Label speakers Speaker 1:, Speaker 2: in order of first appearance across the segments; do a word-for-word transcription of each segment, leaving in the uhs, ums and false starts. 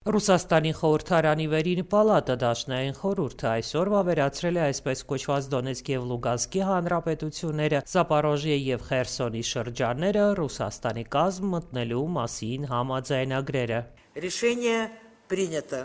Speaker 1: Ռուսաստանի խորհրդարանի վերին պալատը դաշնային խորհուրդը այսօր վավերացրել է այսպես կոչված Դոնեցկ և Լուգանսկի հանրապետությունները, Զապորոժիե և Խերսոնի շրջանները Ռուսաստանի կազմ մտնելու մասին համաձայնագրերը։
Speaker 2: Решение принято.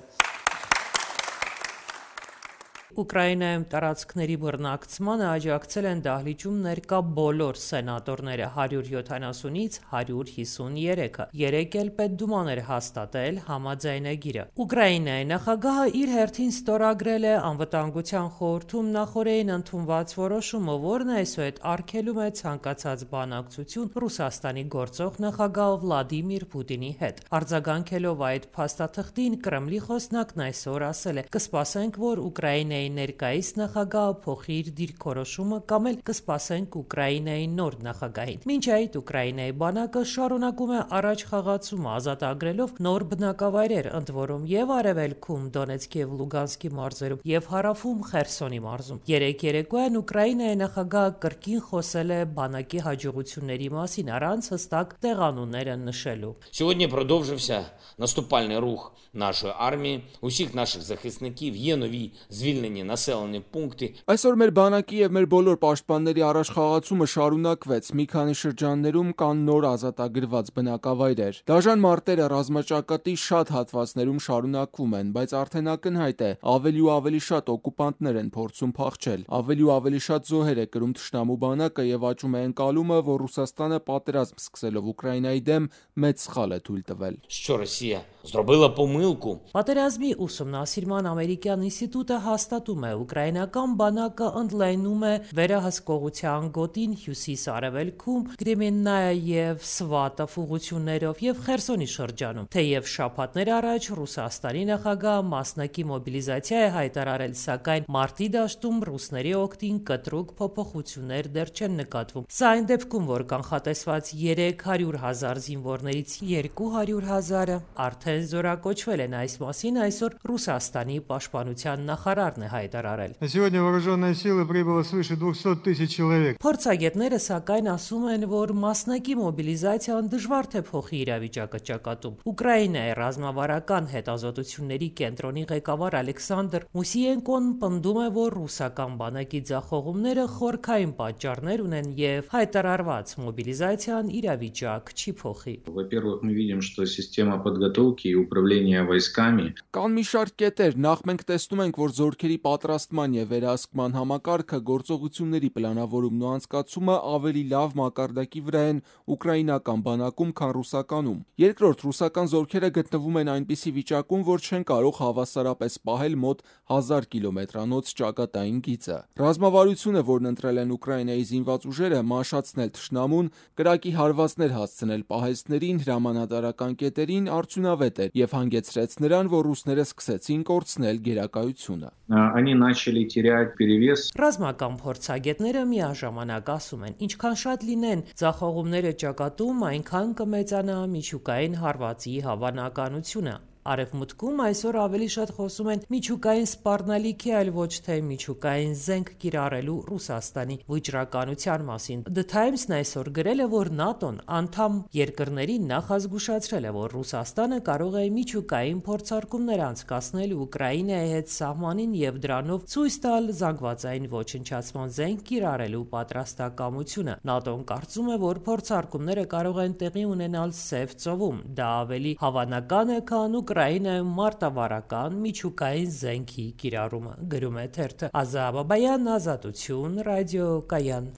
Speaker 1: Ուկրաինայում տարածքների բռնակցմանը աջակցել են դահլիճում ներկա բոլոր սենատորները հարյուր յոթանասունից հարյուր հիսուններեքը, երեք էլ Պետդուման էր հաստատել համաձայնագիրը։ Ուկրաինայի նախագահը իր հերթին ստորագրել է Անվտանգության խորհրդում նախօրեին ընդունված որոշումը, որն այսուհետ արգելում է ցանկացած բանակցություն Ռուսաստանի գործող նախագահ Վլադիմիր Պուտինի հետ։ Արձագանքելով այդ փաստաթղթին, Կրեմլի խոսնակն այսօր ասել է. «Կսպասենք, որ Ուկրաինայի ներկայիս նախագահը փոխի իր դիրքորոշումը կամ էլ կսպասենք Ուկրաինայի նոր նախագահին»։ Մինչ այդ Ուկրաինայի բանակը շարունակում է առաջ խաղացումը ազատագրելով նոր բնակավայրեր, ընդ որում եւ արևելքում Դոնեցկ եւ Լուգանսկի մարզերում եւ հարավում Խերսոնի մարզում։ Երեկ երեկոյան Ուկրաինայի նախագահը կրկին խոսել է բանակի հաջողությունների մասին առանց հստակ տեղանունները նշելու։
Speaker 3: Сьогодні продовжився наступальний рух нашої армії. Усіх наших захисників є нові звільнені населені пункти.
Speaker 4: Այսօր մեր բանակի եւ մեր բոլոր պաշտպանների առաջխաղացումը շարունակվեց։ Մի քանի շրջաններում կան նոր ազատագրված բնակավայրեր։ Դաժան մարտերը ռազմաճակատի շատ հատվածներում շարունակվում են, բայց արդեն ակնհայտ է, ավելի ու ավելի շատ օկուպանտներ են փորձում փախչել։ Ավելի ու ավելի շատ զոհեր է կրում թշնամու բանակը եւ աճում է ընկալումը, որ Ռուսաստանը պատերազմ սկսելով Ուկրաինայի դեմ մեծ սխալ է թույլ տվել։
Speaker 3: Що Росія зробила помилку.
Speaker 1: Պատերազմի ուսումնասիրման ամերիկյան ինստիտուտը հաստատում է, ուկրաինական բանակը ընդլայնում է վերահսկողության գոտին հյուսիս-արևելքում Կրեմեննայա եւ Սվատով ուղղություններով եւ Խերսոնի շրջանում։ Թեև շաբաթներ առաջ Ռուսաստանի նախագահը մասնակի մոբիլիզացիա է հայտարարել, սակայն մարտի դաշտում ռուսների օգտին կտրուկ փոփոխություններ դեռ չեն նկատվում։ Սա այն դեպքում, որ կանխատեսված երեք հարյուր հազար զինվորներից երկու հարյուր հազարը արդեն զորակոչվել են։ Այս մասին այսօր Ռուսաստանի պաշտպանության նախարարն է հայտարարել։
Speaker 5: На сегодня вооруженные силы прибыло свыше двухсот тысяч человек.
Speaker 1: Փորձագետները սակայն ասում են, որ մասնակի մոբիլիզացիան դժվար թե փոխի իրավիճակը ճակատում։ Ուկրաինայի ռազմավարական հետազոտությունների կենտրոնի ղեկավար Ալեքսանդր Մուսիենկոն պնդում է, որ ռուսական բանակի ձախողումները խորքային պատճառներ ունեն եւ հայտարարված մոբիլիզացիան իրավիճակ չի փոխի։
Speaker 6: Во-первых, мы видим, что система подготовки и управления войсками.
Speaker 4: Կան մի շարք կետեր, նախ մենք տեսնում ենք, որ զորքերի պատրաստման եւ վերահսկման համակարգը, գործողությունների պլանավորումն ու անցկացումը ավելի լավ մակարդակի վրա են ուկրաինական բանակում, քան ռուսականում։ Երկրորդ, ռուսական զորքերը գտնվում են այնպիսի վիճակում, որ չեն կարող հավասարապես պահել մոտ հազար կիլոմետրանոց ճակատային գիծը։ Ռազմավարությունը, որն ընտրել են Ուկրաինայի զինված ուժերը, մանշացնել թշնամուն, կրակի հարվածներ հասցնել պահեստներին, հրամանատարական կետերին, արդյունավետ էր եւ հանգեցրեց նրան, որ ռուսները սկսեցին կորցնել գերակայությունը։
Speaker 6: Они начали терять перевес.
Speaker 1: Ռազմական փորձագետները միաժամանակ ասում են, ինչքան շատ լինեն ձախողումները ճակատում, այնքան կմեծանա միջուկային հարվածի հավանականությունը։ Արևմուտքում այսօր ավելի շատ խոսում են միջուկային սպառնալիքի, այլ ոչ թե միջուկային զենք կիրառելու Ռուսաստանի վճռականության մասին։ The Times-ն այսօր գրել է, որ ՆԱՏՕ-ն անդամ երկրներին նախազգուշացրել է, որ Ռուսաստանը կարող է միջուկային փորձարկումներ անցկացնել Ուկրաինայի հետ սահմանին եւ դրանով ցույց տալ զանգվածային ոչնչացման զենք կիրառելու պատրաստակամությունը։ ՆԱՏՕ-ն կարծում է, որ փորձարկումները կարող են տեղի ունենալ Սև ծովում։ Դա ավելի հավանական է, քան Ուկրաինայում մարտավարական միջուկային զենքի կիրառումը, գրում է թերթը։ Ազա Բաբայան, Ազատություն, ռադիոկայան։